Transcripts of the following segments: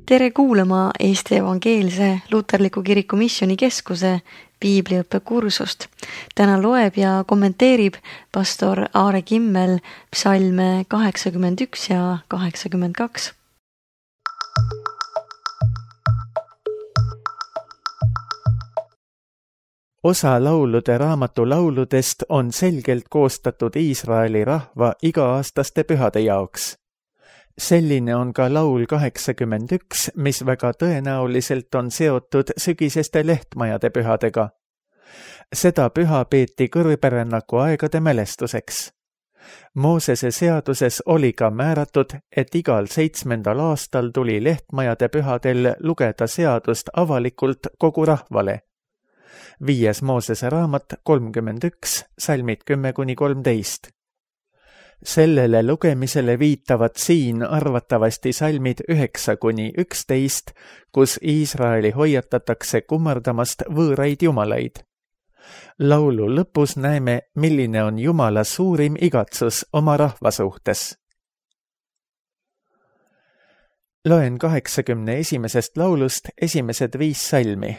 Tere kuulama Eesti Evangeelse Luterliku Kiriku Missioonikeskuse piibliõppekursust. Täna loeb ja kommenteerib pastor Aare Kimmel psalme 81 ja 82. Osa laulude raamatu lauludest on selgelt koostatud Iisraeli rahva iga-aastaste pühade jaoks. Selline on ka laul 81, mis väga tõenäoliselt on seotud sügiseste lehtmajade pühadega. Seda püha peeti kõrberännaku aegade mälestuseks. Moosese seaduses oli ka määratud, et igal 7. aastal tuli lehtmajade pühadel lugeda seadust avalikult kogu rahvale. 5. Moosese raamat 31, salmid 10-13. Sellele lugemisele viitavad siin arvatavasti salmid 9-11, kus Iisraeli hoiatatakse kummardamast võõraid jumalaid. Laulu lõpus näeme, milline on Jumala suurim igatsus oma rahva suhtes. Loen 81. laulust esimesed 5 salmi.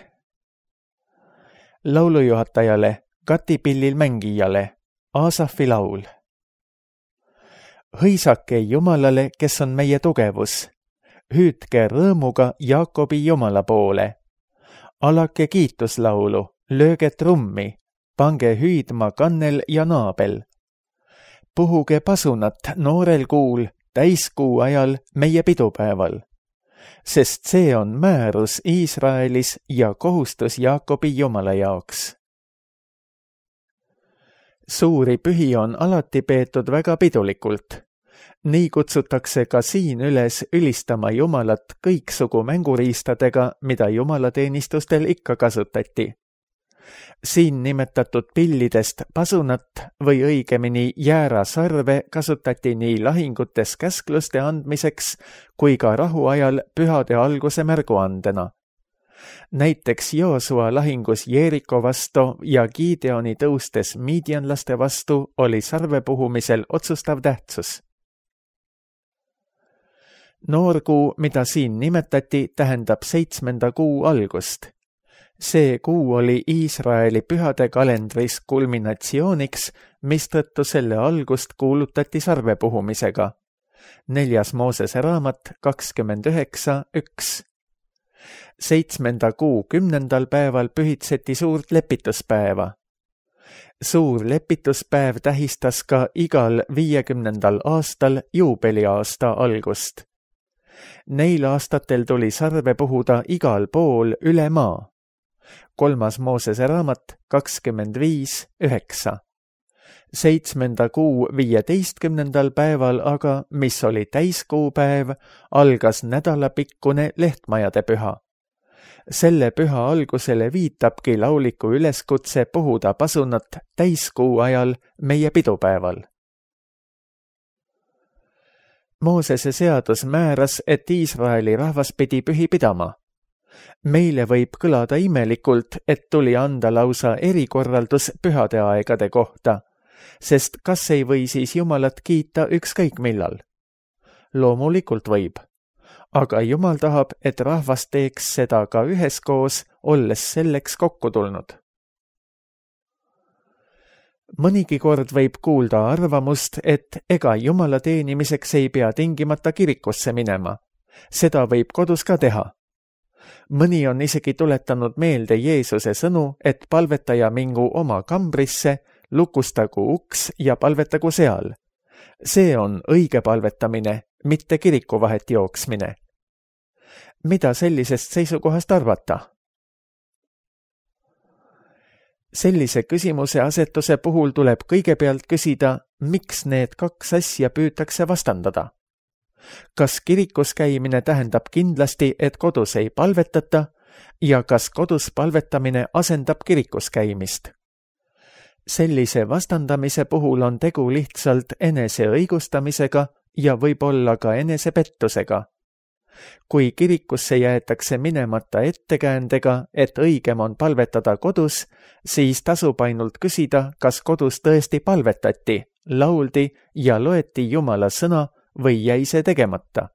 Laulujuhatajale, katipillil mängijale, Aasafi laul. Hõisake Jumalale, kes on meie tugevus. Hüüdke rõõmuga Jaakobi Jumala poole. Alake kiituslaulu, lööge trummi, pange hüüdma kannel ja naabel. Puhuge pasunat noorel kuul, täiskuu ajal meie pidupäeval. Sest see on määrus Iisraelis ja kohustus Jaakobi Jumala jaoks. Suuri pühi on alati peetud väga pidulikult. Nii kutsutakse ka siin üles ülistama Jumalat kõiksugu mänguriistadega, mida jumalateenistustel ikka kasutati. Siin nimetatud pillidest pasunat või õigemini jäärasarve kasutati nii lahingutes käskluste andmiseks kui ka rahuajal pühade alguse märguandena. Näiteks Joosua lahingus Jeeriko vastu ja Gideoni tõustes miidianlaste vastu oli sarve puhumisel otsustav tähtsus. Noorkuu, mida siin nimetati, tähendab 7. kuu algust. See kuu oli Iisraeli pühade kalendris kulminatsiooniks, mistõttu selle algust kuulutati sarve puhumisega. 4. Moosese raamat 29.1. 7. kuu 10. päeval pühitseti suurt lepituspäeva. Suur lepituspäev tähistas ka igal 50. aastal juubeliaasta algust. Neil aastatel tuli sarve puhuda igal pool üle maa. 3. Moosese raamat 25.9. 7. kuu 15. päeval aga, mis oli täiskuupäev, algas nädalapikkune lehtmajade püha. Selle püha algusele viitabki lauliku üleskutse puhuda pasunat täiskuu ajal meie pidupäeval. Moosese seadus määras, et Iisraeli rahvas pidi pühi pidama. Meile võib kõlada imelikult, et tuli anda lausa erikorraldus pühade aegade kohta, sest kas ei või siis Jumalat kiita ükskõik millal? Loomulikult võib. Aga Jumal tahab, et rahvas teeks seda ka üheskoos, olles selleks kokku tulnud. Mõnigi kord võib kuulda arvamust, et ega Jumala teenimiseks ei pea tingimata kirikusse minema. Seda võib kodus ka teha. Mõni on isegi tuletanud meelde Jeesuse sõnu, et palvetaja mingu oma kambrisse, lukustagu uks ja palvetagu seal. See on õige palvetamine, mitte kirikuvahet jooksmine. Mida sellisest seisukohast arvata? Sellise küsimuse asetuse puhul tuleb kõigepealt küsida, miks need 2 asja püütakse vastandada. Kas kirikus käimine tähendab kindlasti, et kodus ei palvetata ja kas kodus palvetamine asendab kirikus käimist? Sellise vastandamise puhul on tegu lihtsalt enese õigustamisega ja võib-olla ka enesepettusega. Kui kirikusse jäetakse minemata ettekäändega, et õigem on palvetada kodus, siis tasub ainult küsida, kas kodus tõesti palvetati, lauldi ja loeti Jumala sõna või jäi see tegemata.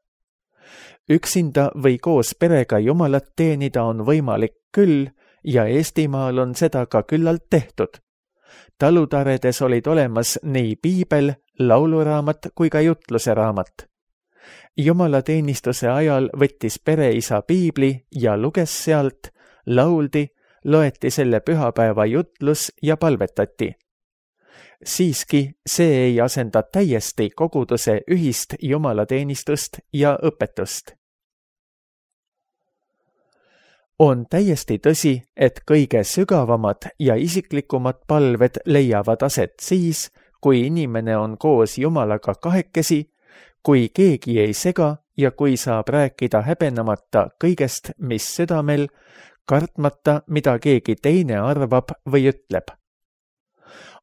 Üksinda või koos perega Jumalat teenida on võimalik küll ja Eestimaal on seda ka küllalt tehtud. Talutaredes olid olemas nii piibel, lauluraamat kui ka jutluse raamat. Jumalateenistuse ajal võttis pereisa piibli ja luges sealt, lauldi, loeti selle pühapäeva jutlus ja palvetati. Siiski see ei asenda täiesti koguduse ühist jumalateenistust ja õpetust. On täiesti tõsi, et kõige sügavamad ja isiklikumad palved leiavad aset siis, kui inimene on koos Jumalaga kahekesi, kui keegi ei sega ja kui saab rääkida häbenemata kõigest, mis südamel, kartmata, mida keegi teine arvab või ütleb.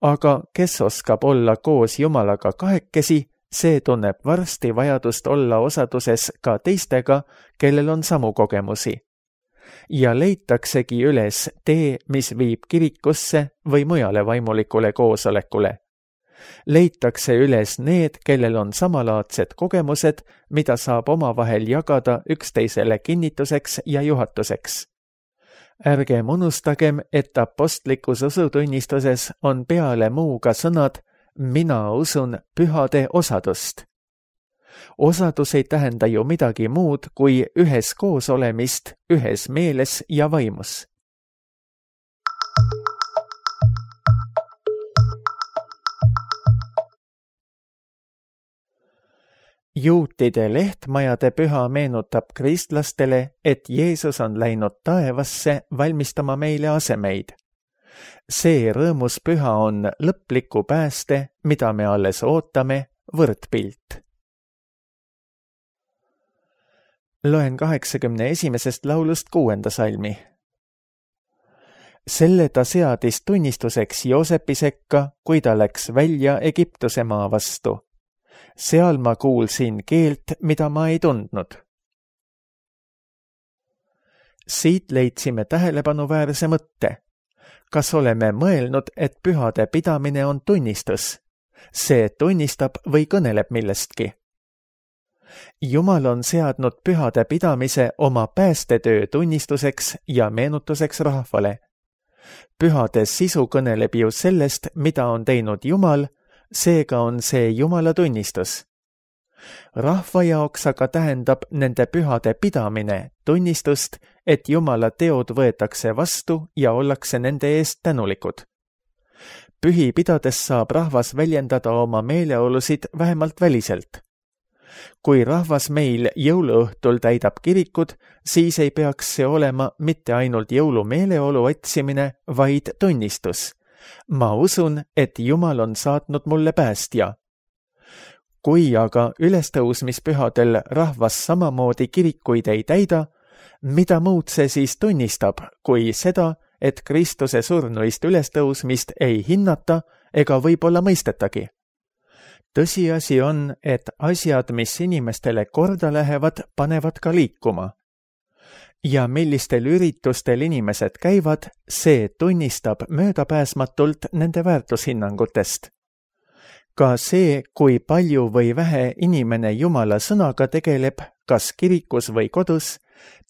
Aga kes oskab olla koos Jumalaga kahekesi, see tunneb varsti vajadust olla osaduses ka teistega, kellel on samu kogemusi. Ja leitaksegi üles tee, mis viib kirikusse või mujale vaimulikule koosolekule. Leitakse üles need, kellel on samalaadsed kogemused, mida saab omavahel jagada üksteisele kinnituseks ja juhatuseks. Ärgem unustagem, et apostlikus usutunnistuses on peale muuga sõnad mina usun pühade osadust. Osadus ei tähenda ju midagi muud kui ühes koos olemist, ühes meeles ja vaimus. Juutide lehtmajade püha meenutab kristlastele, et Jeesus on läinud taevasse valmistama meile asemeid. See rõõmus püha on lõpliku pääste, mida me alles ootame, võrdpilt. Loen 81. laulust 6. salmi. Selle ta seadis tunnistuseks Joosepi sekka, kui ta läks välja Egiptuse maa vastu. Seal ma kuulsin keelt, mida ma ei tundnud. Siit leidsime tähelepanuväärse mõtte. Kas oleme mõelnud, et pühade pidamine on tunnistus? See tunnistab või kõneleb millestki. Jumal on seadnud pühade pidamise oma päästetöö tunnistuseks ja meenutuseks rahvale. Pühade sisu kõneleb ju sellest, mida on teinud Jumal, seega on see Jumala tunnistus. Rahva jaoks aga tähendab nende pühade pidamine tunnistust, et Jumala teod võetakse vastu ja ollakse nende eest tänulikud. Pühi pidades saab rahvas väljendada oma meeleolusid vähemalt väliselt. Kui rahvas meil jõuluõhtul täidab kirikud, siis ei peaks see olema mitte ainult jõulumeeleolu otsimine, vaid tunnistus. Ma usun, et Jumal on saatnud mulle päästja. Kui aga ülestõusmispühadel rahvas samamoodi kirikuid ei täida, mida muud see siis tunnistab, kui seda, et Kristuse surnuist ülestõusmist ei hinnata ega võib-olla mõistetagi? Tõsiasi on, et asjad, mis inimestele korda lähevad, panevad ka liikuma. Ja millistel üritustel inimesed käivad, see tunnistab möödapääsmatult nende väärtushinnangutest. Ka see, kui palju või vähe inimene Jumala sõnaga tegeleb, kas kirikus või kodus,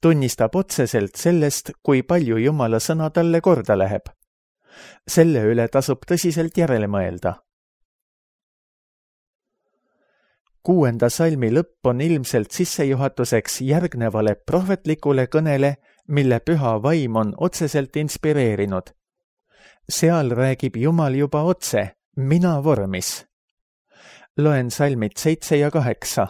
tunnistab otseselt sellest, kui palju Jumala sõna talle korda läheb. Selle üle tasub tõsiselt järele mõelda. 6. salmi lõpp on ilmselt sissejuhatuseks järgnevale prohvetlikule kõnele, mille püha vaim on otseselt inspireerinud. Seal räägib Jumal juba otse, mina vormis. Loen salmid 7 ja 8.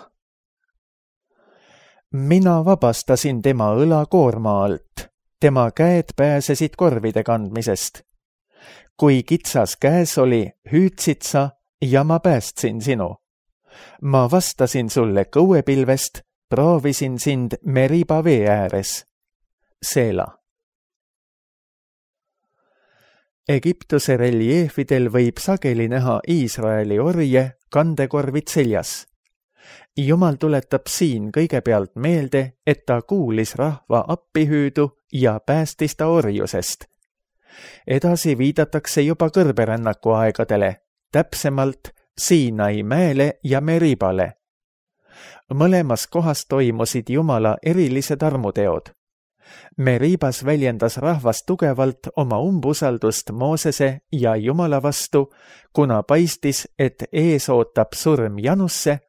Mina vabastasin tema õlakoorma alt, tema käed pääsesid korvide kandmisest. Kui kitsas käes oli, hüüdsid sa ja ma päästsin sinu. Ma vastasin sulle kõuepilvest, proovisin sind Meriba vee ääres. Seela. Egiptuse reljeefidel võib sageli näha Iisraeli orje kandekorvid seljas. Jumal tuletab siin kõigepealt meelde, et ta kuulis rahva appihüüdu ja päästis ta orjusest. Edasi viidatakse juba kõrberännaku aegadele, täpsemalt Siinai mäele ja Meribale. Mõlemas kohas toimusid Jumala erilised armuteod. Meribas väljendas rahvas tugevalt oma umbusaldust Moosese ja Jumala vastu, kuna paistis, et ees ootab surm Janusse,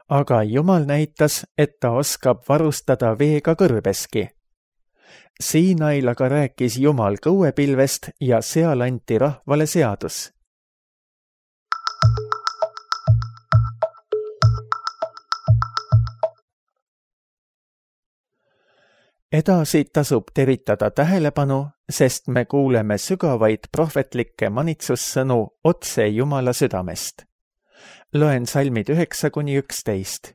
aga Jumal näitas, et ta oskab varustada veega kõrbeski. Siinail aga rääkis Jumal kõuepilvest ja seal anti rahvale seadus. Edasi tasub teritada tähelepanu, sest me kuuleme sügavaid prohvetlikke manitsussõnu otse Jumala südamest. Loen salmid 9-11.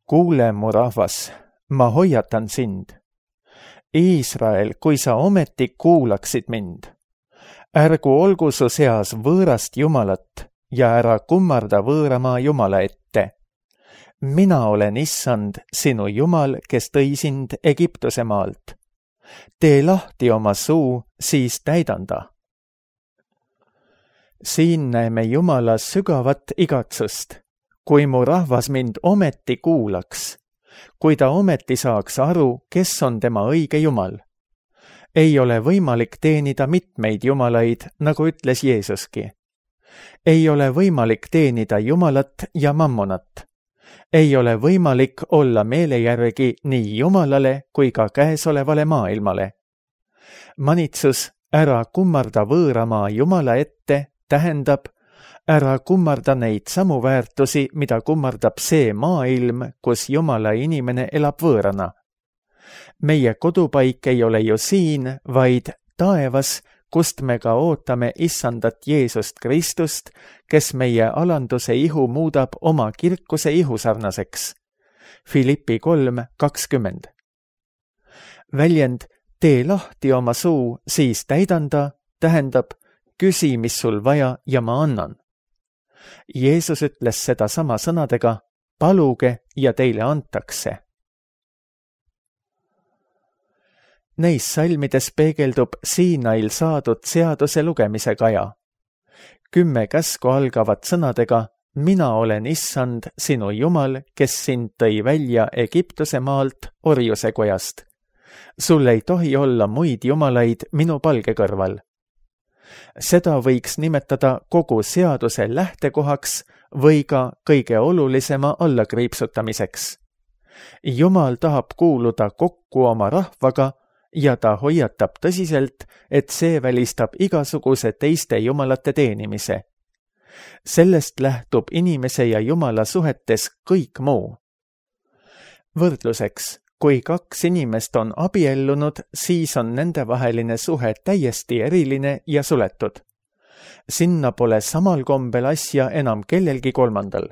Kuule, mu rahvas, ma hoiatan sind. Iisrael, kui sa ometi kuulaksid mind. Ärgu olgu su seas võõrast Jumalat ja ära kummarda võõramaa Jumala ette. Mina olen Issand, sinu Jumal, kes tõi sind Egiptuse maalt. Tee lahti oma suu, siis täidan ta. Siin näeme Jumala sügavat igatsust. Kui mu rahvas mind ometi kuulaks, kui ta ometi saaks aru, kes on tema õige Jumal. Ei ole võimalik teenida mitmeid jumalaid, nagu ütles Jeesuski. Ei ole võimalik teenida Jumalat ja mammonat. Ei ole võimalik olla meele järgi nii Jumalale kui ka käesolevale maailmale. Manitsus ära kummarda võõramaa Jumala ette tähendab ära kummarda neid samu väärtusi, mida kummardab see maailm, kus Jumala inimene elab võõrana. Meie kodupaik ei ole ju siin, vaid taevas, kust me ka ootame Issandat Jeesust Kristust, kes meie alanduse ihu muudab oma kirkuse ihusarnaseks. Filippi 3:20. Väljend tee lahti oma suu, siis täidan ta, tähendab küsi, mis sul vaja ja ma annan. Jeesus ütles seda sama sõnadega, paluge ja teile antakse. Neis salmides peegeldub Siinail saadud seaduse lugemise kaja. 10 käsku algavad sõnadega, mina olen Issand, sinu Jumal, kes sind tõi välja Egiptuse maalt orjuse kojast. Sul ei tohi olla muid jumalaid minu palge kõrval. Seda võiks nimetada kogu seaduse lähtekohaks või ka kõige olulisema allakriipsutamiseks. Jumal tahab kuuluda kokku oma rahvaga ja ta hoiatab tõsiselt, et see välistab igasuguse teiste jumalate teenimise. Sellest lähtub inimese ja Jumala suhetes kõik muu. Võrdluseks, kui 2 inimest on abiellunud, siis on nendevaheline suhe täiesti eriline ja suletud. Sinna pole samal kombel asja enam kellelgi kolmandal.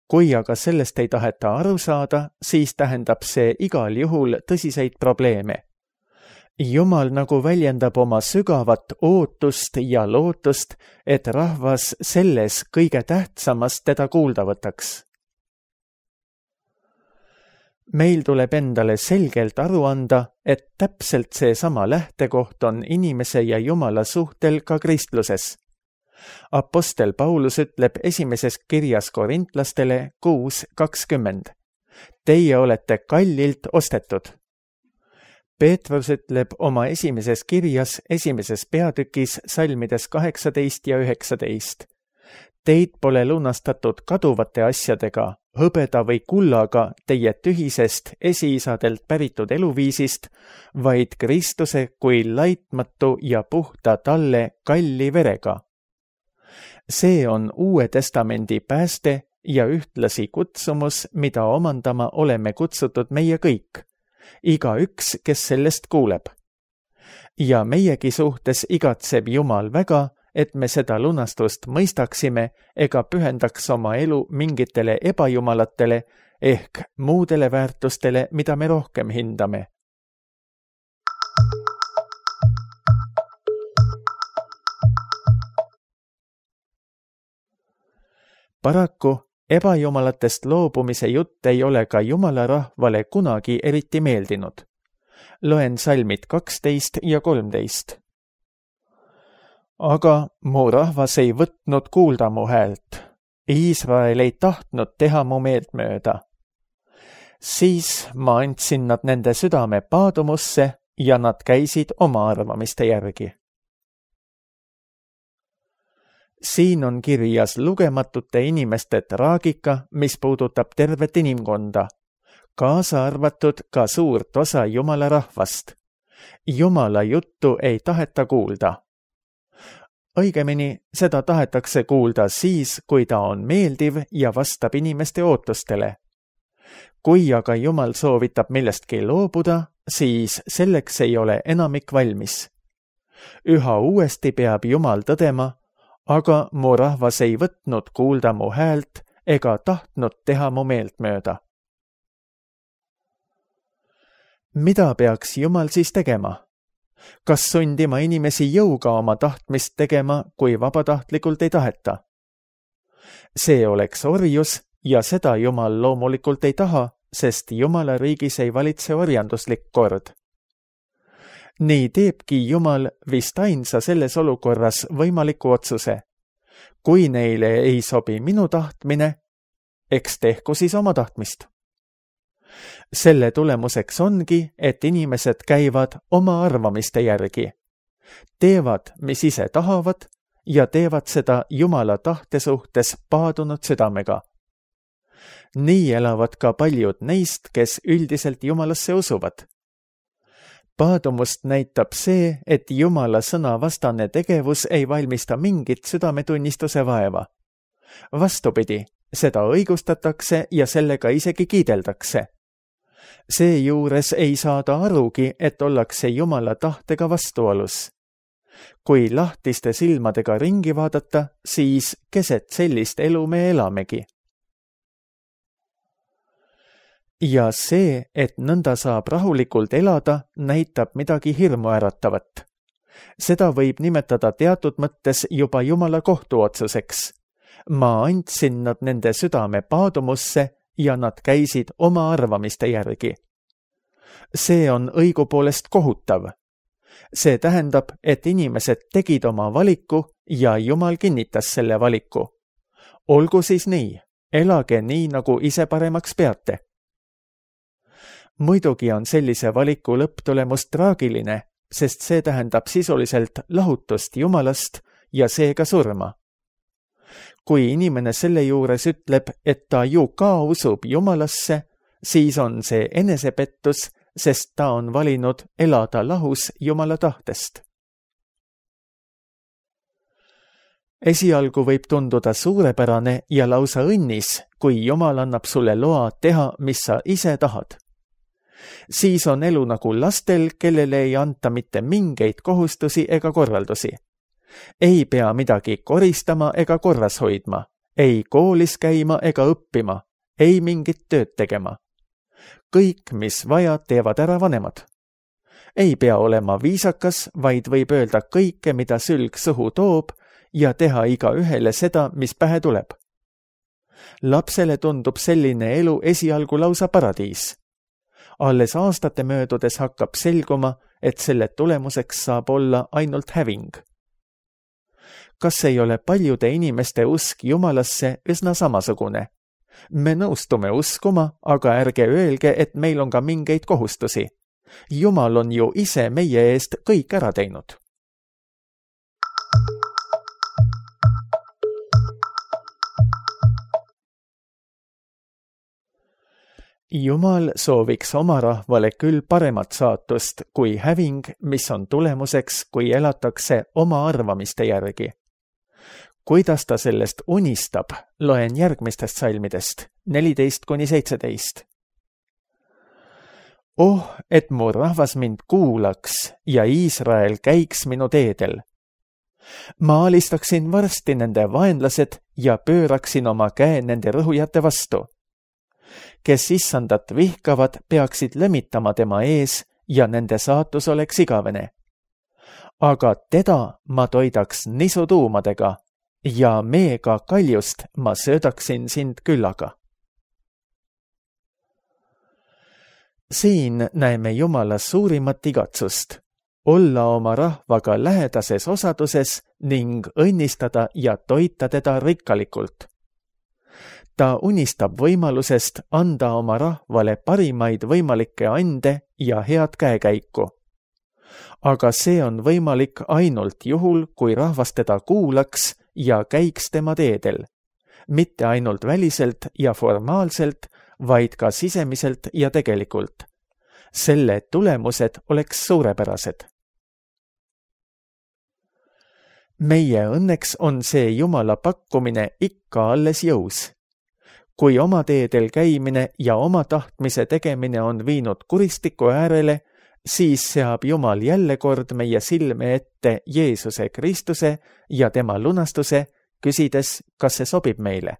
Kui aga sellest ei taheta aru saada, siis tähendab see igal juhul tõsiseid probleeme. Jumal nagu väljendab oma sügavat ootust ja lootust, et rahvas selles kõige tähtsamas teda kuulda võtaks. Meil tuleb endale selgelt aru anda, et täpselt seesama lähtekoht on inimese ja Jumala suhtel ka kristluses. Apostel Paulus ütleb esimeses kirjas korintlastele 6:20. Teie olete kallilt ostetud. Peetrus ütleb oma esimeses kirjas, esimeses peatükis, salmides 18 ja 19. Teid pole lunastatud kaduvate asjadega, hõbeda või kullaga teie tühisest esiisadelt päritud eluviisist, vaid Kristuse kui laitmatu ja puhta talle kalli verega. See on Uue Testamendi pääste ja ühtlasi kutsumus, mida omandama oleme kutsutud meie kõik. Igaüks, kes sellest kuuleb. Ja meiegi suhtes igatseb Jumal väga, et me seda lunastust mõistaksime ega pühendaks oma elu mingitele ebajumalatele ehk muudele väärtustele, mida me rohkem hindame. Paraku ebajumalatest loobumise jutt ei ole ka Jumala rahvale kunagi eriti meeldinud. Loen salmid 12 ja 13. Aga mu rahvas ei võtnud kuulda mu häält. Iisrael ei tahtnud teha mu meeltmööda. Siis ma andsin nad nende südame paadumusse ja nad käisid oma arvamiste järgi. Siin on kirjas lugematute inimeste traagika, mis puudutab tervet inimkonda, kaasa arvatud ka suurt osa Jumala rahvast. Jumala juttu ei taheta kuulda. Õigemini, seda tahetakse kuulda siis, kui ta on meeldiv ja vastab inimeste ootustele. Kui aga Jumal soovitab millestki loobuda, siis selleks ei ole enamik valmis. Üha uuesti peab Jumal tõdema, aga mu rahvas ei võtnud kuulda mu häält ega tahtnud teha mu meeltmööda. Mida peaks Jumal siis tegema? Kas sundima inimesi jõuga oma tahtmist tegema, kui vabatahtlikult ei taheta? See oleks orjus ja seda Jumal loomulikult ei taha, sest Jumala riigis ei valitse orjanduslik kord. Nii teebki Jumal vist ainsa selles olukorras võimaliku otsuse. Kui neile ei sobi minu tahtmine, eks tehku siis oma tahtmist. Selle tulemuseks ongi, et inimesed käivad oma arvamiste järgi. Teevad, mis ise tahavad ja teevad seda Jumala tahte suhtes paadunud südamega. Nii elavad ka paljud neist, kes üldiselt Jumalasse usuvad. Paadumust näitab see, et Jumala sõna vastane tegevus ei valmista mingit südametunnistuse vaeva. Vastupidi, seda õigustatakse ja sellega isegi kiideldakse. Seejuures ei saada arugi, et ollakse Jumala tahtega vastuolus. Kui lahtiste silmadega ringi vaadata, siis keset sellist elu me elamegi. Ja see, et nõnda saab rahulikult elada, näitab midagi hirmuäratavat. Seda võib nimetada teatud mõttes juba Jumala kohtuotsuseks. Ma andsin nad nende südame paadumusse ja nad käisid oma arvamiste järgi. See on õigupoolest kohutav. See tähendab, et inimesed tegid oma valiku ja Jumal kinnitas selle valiku. Olgu siis nii, elage nii, nagu ise paremaks peate. Muidugi on sellise valiku lõpptulemus traagiline, sest see tähendab sisuliselt lahutust Jumalast ja seega surma. Kui inimene selle juures ütleb, et ta ju ka usub Jumalasse, siis on see enesepettus, sest ta on valinud elada lahus Jumala tahtest. Esialgu võib tunduda suurepärane ja lausa õnnis, kui Jumal annab sulle loa teha, mis sa ise tahad. Siis on elu nagu lastel, kellele ei anta mitte mingeid kohustusi ega korraldusi. Ei pea midagi koristama ega korras hoidma, ei koolis käima ega õppima, ei mingit tööd tegema. Kõik, mis vaja, teevad ära vanemad. Ei pea olema viisakas, vaid võib öelda kõike, mida sülg suhu toob ja teha igaühele seda, mis pähe tuleb. Lapsele tundub selline elu esialgu lausa paradiis. Alles aastate möödudes hakkab selguma, et selle tulemuseks saab olla ainult häving. Kas ei ole paljude inimeste usk Jumalasse üsna samasugune? Me nõustume uskuma, aga ärge öelge, et meil on ka mingeid kohustusi. Jumal on ju ise meie eest kõik ära teinud. Jumal sooviks oma rahvale küll paremat saatust kui häving, mis on tulemuseks, kui elatakse oma arvamiste järgi. Kuidas ta sellest unistab, loen järgmistest salmidest, 14-17. Oh, et mu rahvas mind kuulaks ja Iisrael käiks minu teedel. Ma alistaksin varsti nende vaenlased ja pööraksin oma käe nende rõhujate vastu. Kes issandat vihkavad, peaksid lömitama tema ees ja nende saatus oleks igavene. Aga teda ma toidaks nisutuumadega ja meega kaljust ma söödaksin sind küllaga. Siin näeme Jumala suurimat igatsust, olla oma rahvaga lähedases osaduses ning õnnistada ja toita teda rikkalikult. Ta unistab võimalusest anda oma rahvale parimaid võimalikke ande ja head käekäiku. Aga see on võimalik ainult juhul, kui rahvas teda kuulaks ja käiks tema teedel. Mitte ainult väliselt ja formaalselt, vaid ka sisemiselt ja tegelikult. Selle tulemused oleks suurepärased. Meie õnneks on see Jumala pakkumine ikka alles jõus. Kui oma teedel käimine ja oma tahtmise tegemine on viinud kuristiku äärele, siis seab Jumal jälle kord meie silme ette Jeesuse Kristuse ja tema lunastuse, küsides, kas see sobib meile.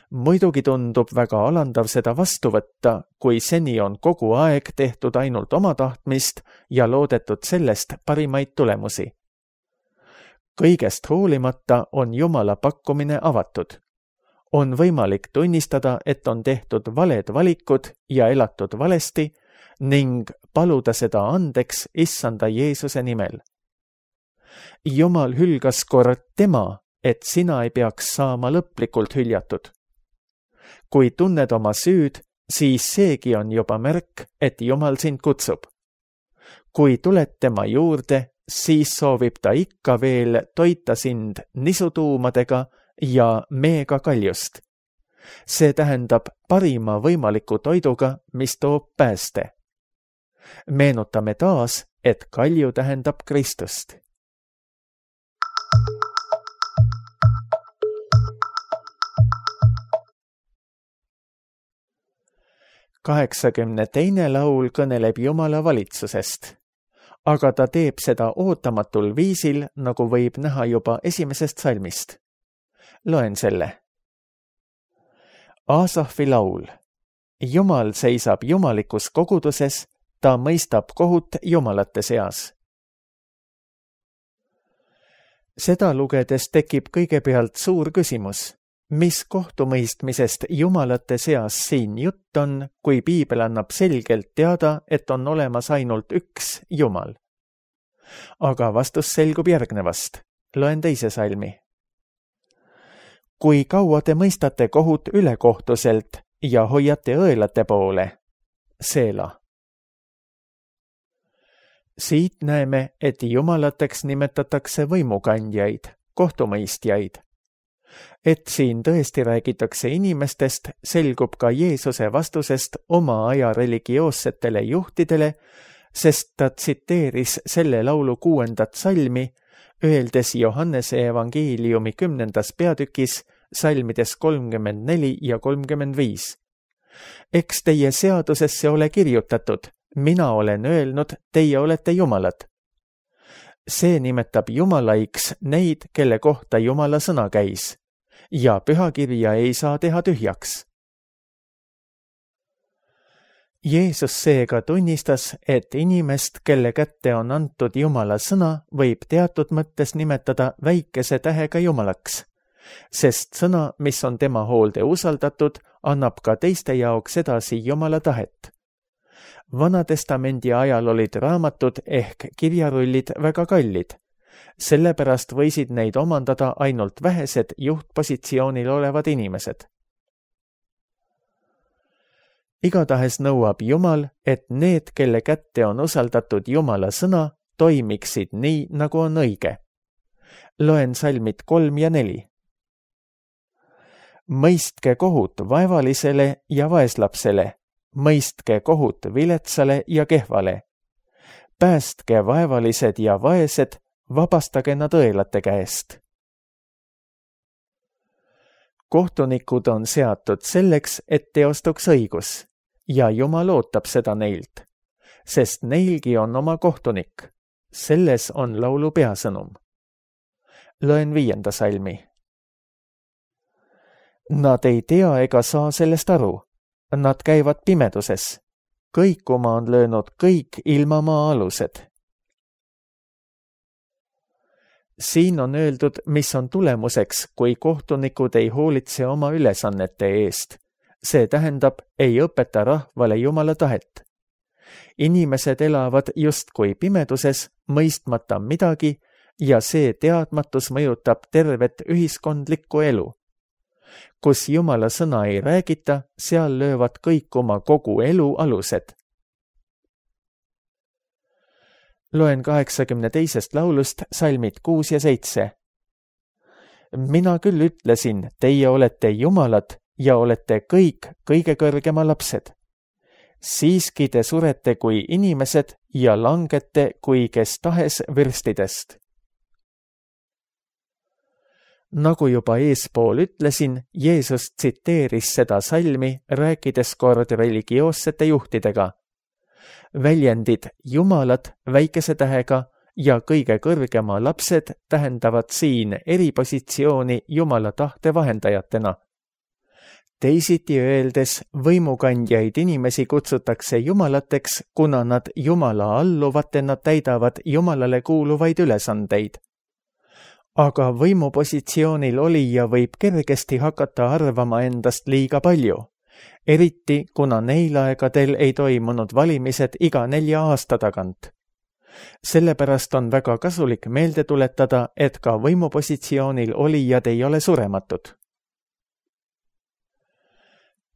Muidugi tundub väga alandav seda vastu võtta, kui seni on kogu aeg tehtud ainult oma tahtmist ja loodetud sellest parimaid tulemusi. Kõigest hoolimata on Jumala pakkumine avatud. On võimalik tunnistada, et on tehtud valed valikud ja elatud valesti ning paluda seda andeks Issanda Jeesuse nimel. Jumal hülgas kord tema, et sina ei peaks saama lõplikult hüljatud. Kui tunned oma süüd, siis seegi on juba märk, et Jumal sind kutsub. Kui tuled tema juurde, siis soovib ta ikka veel toita sind nisutuumadega ja meega kaljust. See tähendab parima võimaliku toiduga, mis toob pääste. Meenutame taas, et kalju tähendab Kristust. Kaheksakümne laul kõneleb Jumala valitsusest, aga ta teeb seda ootamatul viisil, nagu võib näha juba esimesest salmist. Loen selle. Aasafi laul. Jumal seisab jumalikus koguduses, ta mõistab kohut jumalate seas. Seda lugedes tekib kõigepealt suur küsimus. Mis kohtumõistmisest jumalate seas siin jutt on, kui piibel annab selgelt teada, et on olemas ainult üks Jumal? Aga vastus selgub järgnevast. Loen teise salmi. Kui kaua te mõistate kohut ülekohtuselt ja hoiate õelate poole? Seela. Siit näeme, et jumalateks nimetatakse võimukandjaid, kohtumõistjaid. Et siin tõesti räägitakse inimestest, selgub ka Jeesuse vastusest oma aja religioossetele juhtidele, sest ta tsiteeris selle laulu 6. salmi, öeldes Johannese evangeeliumi 10. peatükis salmides 34 ja 35. Eks teie seadusesse ole kirjutatud, mina olen öelnud, teie olete jumalad. See nimetab jumalaiks neid, kelle kohta Jumala sõna käis, ja pühakirja ei saa teha tühjaks. Jeesus seega tunnistas, et inimest, kelle kätte on antud Jumala sõna, võib teatud mõttes nimetada väikese tähega jumalaks, sest sõna, mis on tema hoolde usaldatud, annab ka teiste jaoks edasi Jumala tahet. Vanatestamendi ajal olid raamatud ehk kirjarullid väga kallid. Sellepärast võisid neid omandada ainult vähesed juhtpositsioonil olevad inimesed. Igatahes nõuab Jumal, et need, kelle kätte on usaldatud Jumala sõna, toimiksid nii, nagu on õige. Loen salmid 3 ja 4. Mõistke kohut vaevalisele ja vaeslapsele, mõistke kohut viletsale ja kehvale. Päästke vaevalised ja vaesed, vabastage nad õelate käest. Kohtunikud on seatud selleks, et teostuks õigus, ja Jumal ootab seda neilt, sest neilgi on oma kohtunik. Selles on laulu peasõnum. Loen 5. salmi. Nad ei tea ega saa sellest aru. Nad käivad pimeduses. Kõikuma on löönud kõik ilmamaa alused. Siin on öeldud, mis on tulemuseks, kui kohtunikud ei hoolitse oma ülesannete eest. See tähendab, ei õpeta rahvale Jumala tahet. Inimesed elavad justkui pimeduses, mõistmata midagi, ja see teadmatus mõjutab tervet ühiskondlikku elu. kus Jumala sõna ei räägita, seal löövad kõikuma kogu elu alused. Loen 82. laulust salmid 6 ja 7. Mina küll ütlesin, teie olete jumalad ja olete kõik kõige kõrgema lapsed. Siiski te surete kui inimesed ja langete kui kes tahes vürstidest. Nagu juba eespool ütlesin, Jeesus tsiteeris seda salmi, rääkides kord religioossete juhtidega. Väljendid jumalad väikese tähega ja kõige kõrgema lapsed tähendavad siin eripositsiooni Jumala tahte vahendajatena. Teisiti öeldes, võimukandjaid inimesi kutsutakse jumalateks, kuna nad Jumala alluvatena täidavad Jumalale kuuluvaid ülesandeid. Aga võimupositsioonil olija võib kergesti hakata arvama endast liiga palju, eriti kuna neil aegadel ei toimunud valimised iga 4 aasta tagant. Sellepärast on väga kasulik meelde tuletada, et ka võimupositsioonil olijad ei ole surematud.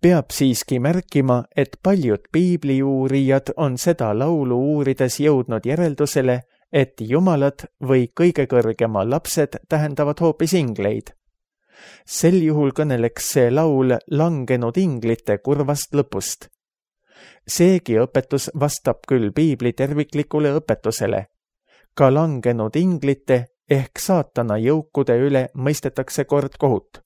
Peab siiski märkima, et paljud piibliuurijad on seda laulu uurides jõudnud järeldusele, et jumalad või kõige kõrgema lapsed tähendavad hoopis ingleid. Sel juhul kõneleks see laul langenud inglite kurvast lõpust. Seegi õpetus vastab küll piibli terviklikule õpetusele. Ka langenud inglite ehk saatana jõukude üle mõistetakse kord kohut.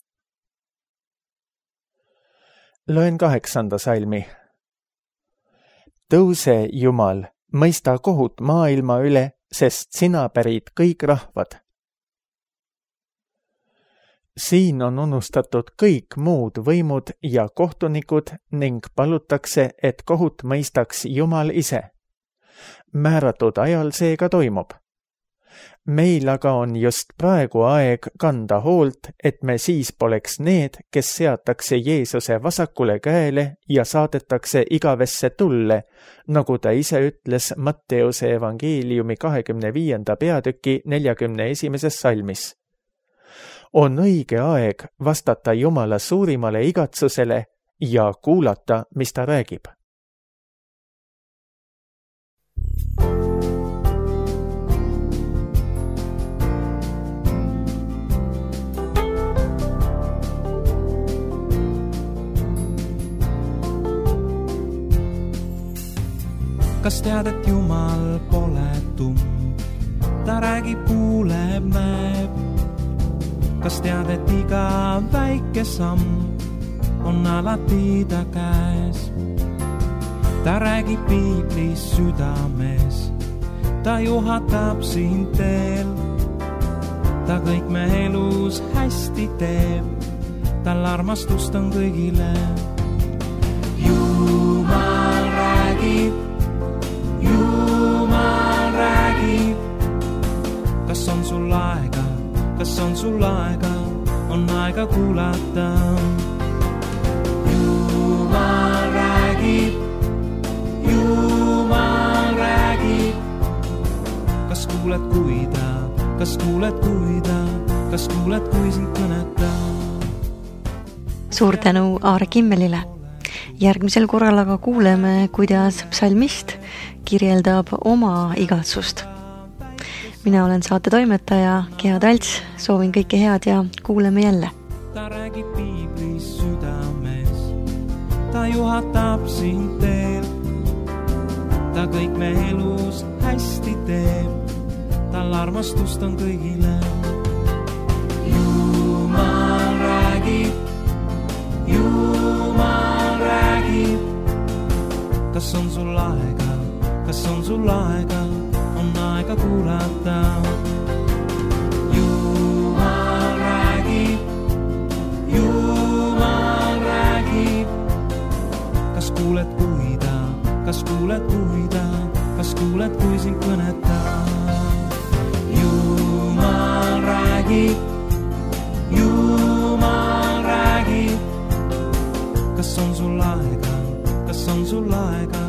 Loen 8. salmi. Tõuse, Jumal, mõista kohut maailma üle, sest sina pärid kõik rahvad. Siin on unustatud kõik muud võimud ja kohtunikud ning palutakse, et kohut mõistaks Jumal ise. Määratud ajal see ka toimub. Meil aga on just praegu aeg kanda hoolt, et me siis poleks need, kes seatakse Jeesuse vasakule käele ja saadetakse igavesse tulle, nagu ta ise ütles Matteuse evangeeliumi 25. peatüki 41. salmis. On õige aeg vastata Jumala suurimale igatsusele ja kuulata, mis ta räägib. Kas tead, et Jumal pole tumm, ta räägib, kuuleb, näeb. Kas tead, et iga väike samm on alati ta käes. Ta räägib piiblis südames, ta juhatab sind teel. Ta kõik me elus hästi teeb, tal armastust on kõigile. Jumal räägib, Jumal räägib. Kas on sul aega, kas on sul aega, on aega kuulata. Jumal räägib, Jumal räägib. Kas kuuled, kui ta, kas kuuled, kui ta, kas kuuled, kui sind kõnetab? Suur tänu Aare Kimmelile. Järgmisel korral aga kuuleme, kuidas psalmist kirjeldab oma igatsust. Mina olen saate toimetaja Gea Talts, soovin kõike head ja kuuleme jälle. Ta räägib piiblis südames, ta juhatab sind teel. Ta kõik me elus hästi teeb, tal armastust on kõigile. Jumal räägib, Jumal räägib. Kas on sul aega, kas on sul aega, on aega kuulata. Jumal räägib, Jumal räägib. Kas kuuled, kui ta, kas kuuled, kui ta, kas kuuled, kui sind kõnetab? Jumal räägib, Jumal räägib. Kas on sul aega, kas on sul aega?